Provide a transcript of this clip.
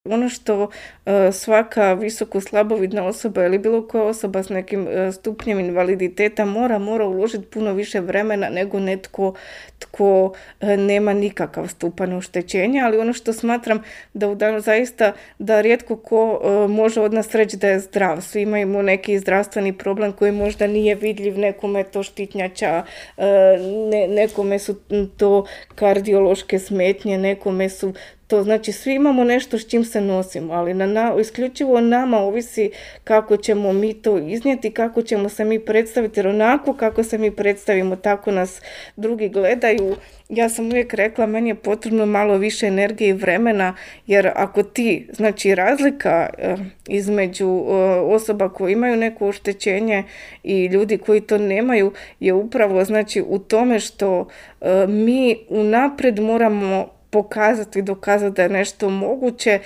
Ono što svaka visoko slabovidna osoba ili bilo koja osoba s nekim stupnjem invaliditeta mora uložiti puno više vremena nego netko tko nema nikakav stupanj oštećenja, ali ono što smatram zaista da rijetko ko može od nas reći da je zdrav. Svi imamo neki zdravstveni problem koji možda nije vidljiv, nekome je to štitnjača, nekome su to kardiološke smetnje, nekome su to, znači svi imamo nešto s čim se nosimo, ali isključivo nama ovisi kako ćemo mi to iznijeti, kako ćemo se mi predstaviti, jer onako kako se mi predstavimo, tako nas drugi gledaju. Ja sam uvijek rekla, meni je potrebno malo više energije i vremena, jer ako znači razlika između osoba koje imaju neko oštećenje i ljudi koji to nemaju je upravo znači u tome što mi unaprijed moramo pokazati i dokazati da je nešto moguće,